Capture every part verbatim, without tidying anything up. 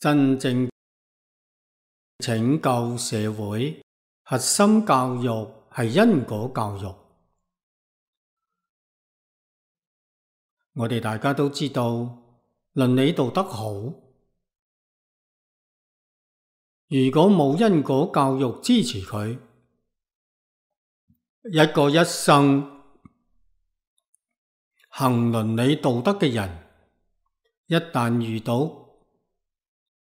真正拯救社會，核心教育係因果教育。我哋大家都知道，倫理道德好，如果冇因果教育支持佢，一個一生行倫理道德嘅人，一旦遇到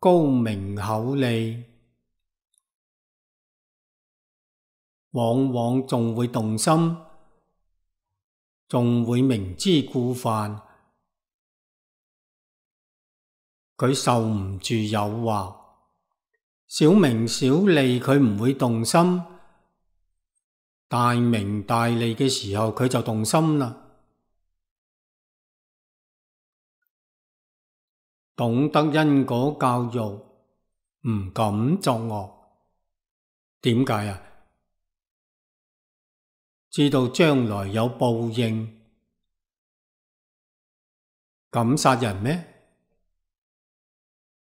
高名厚利，往往仲會動心，仲會明知故犯。佢受唔住誘惑，小名小利佢唔會動心，大名大利嘅時候佢就動心啦。懂得因果教育，唔敢作惡。點解啊？知道將來有報應。敢殺人咩？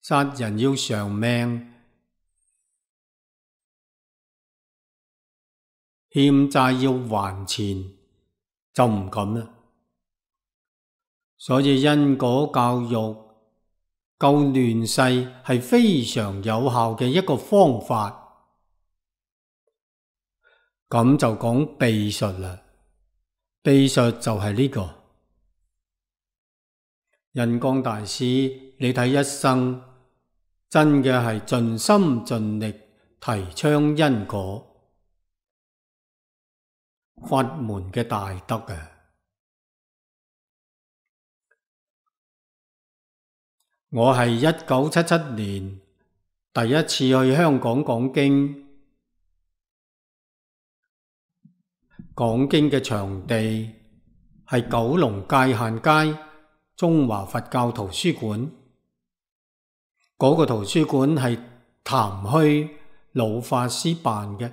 殺人要償命，欠債要還錢，就唔敢啦。所以因果教育救亂世係非常有效嘅一個方法。咁就講秘術啦，秘術就係呢個。印光大師，你睇一生真嘅係盡心盡力提倡因果法門嘅大德啊！我係一九七七年第一次去香港講經，講經嘅場地係九龍界限街中華佛教圖書館。嗰個圖書館係譚虛老法師辦嘅。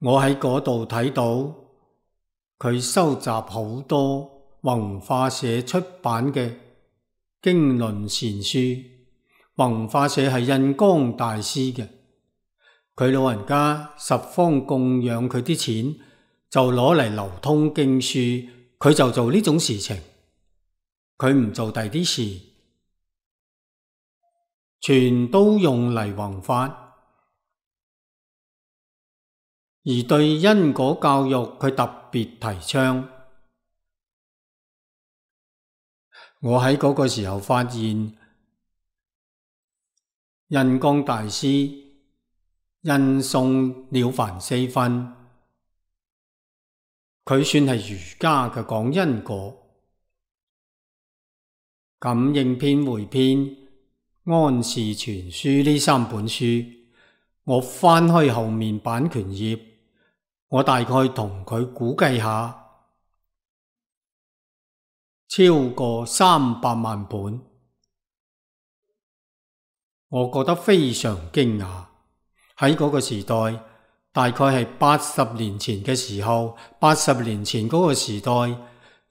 我喺嗰度睇到佢收集好多弘化社出版嘅經論善書。弘化社係印光大師嘅，佢老人家十方供養佢啲錢，就攞嚟流通經書，佢就做呢種事情，佢唔做第啲事，全都用嚟弘法。而對因果教育佢特別提倡。我喺嗰個時候發現，印光大師印送了凡四訓，佢算係儒家嘅講因果。感應篇回篇、安氏全書呢三本書，我翻開後面版權頁，我大概同佢估計下，超過三百萬本。我覺得非常驚訝。喺嗰個時代，大概係八十年前嘅時候，八十年前嗰個時代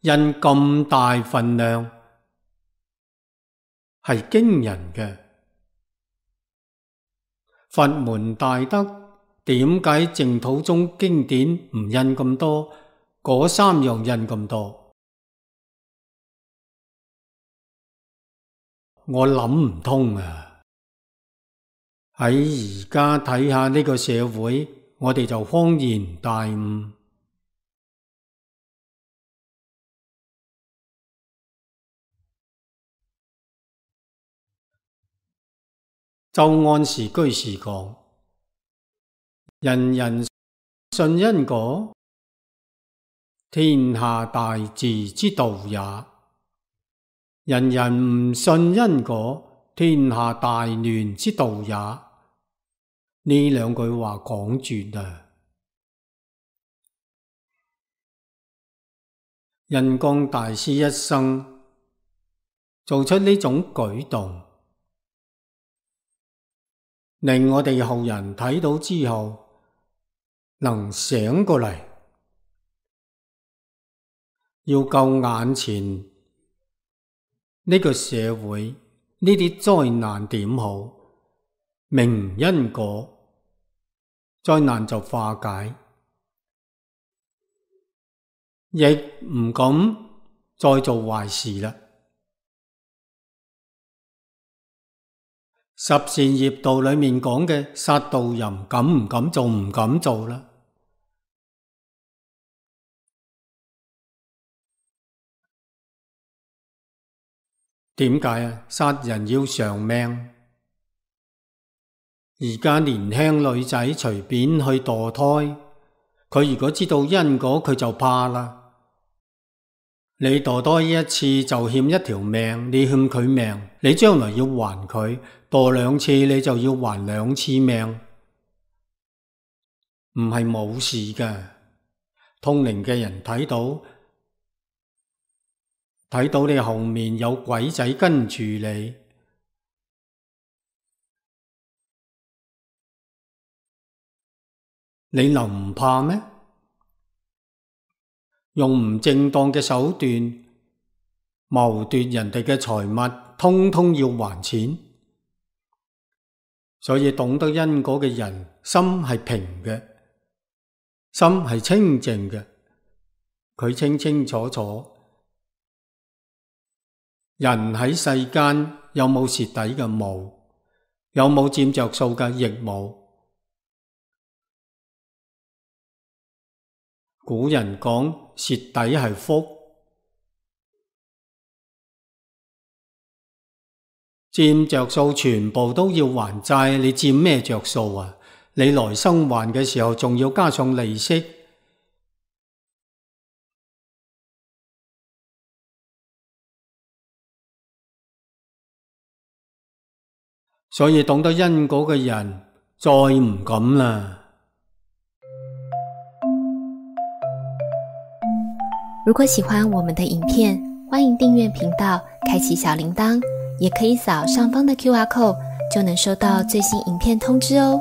印咁大份量，係驚人嘅。佛門大德，點解淨土宗經典唔印咁多，嗰三樣印咁多？我諗唔通啊！喺而家睇下呢個社會，我哋就恍然大悟。周安時居士講：人人信因果，天下大治之道也；人人唔信因果，天下大亂之道也。呢兩句話講絕啊！印光大師一生做出呢種舉動，令我哋後人睇到之後能醒過嚟，要救眼前呢個社會呢啲災難點好？明因果，災難就化解，亦唔敢再做壞事啦。十善業道裏面講嘅殺盜淫，敢唔敢做？唔敢做啦。點解啊？殺人要償命。而家年輕女仔隨便去墮胎，佢如果知道因果，佢就怕啦。你墮胎一次就欠一條命，你欠佢命，你將來要還佢；墮兩次你就要還兩次命，唔係冇事㗎。通靈嘅人睇到，睇到你後面有鬼仔跟住你，你能唔怕咩？用唔正當嘅手段謀奪人哋嘅財物，通通要還錢。所以懂得因果嘅人，心係平嘅，心係清淨嘅，佢清清楚楚。人喺世間有冇蝕底嘅？冇。有冇佔着數嘅？亦冇。古人講蝕底係福，佔着數全部都要還債，你佔咩着數啊？你來生還嘅時候仲要加上利息，所以懂得因果嘅人再唔敢啦。如果喜歡我們的影片，歡迎訂閱頻道，開啟小鈴鐺，也可以掃上方的 Q R code，就能收到最新影片通知哦。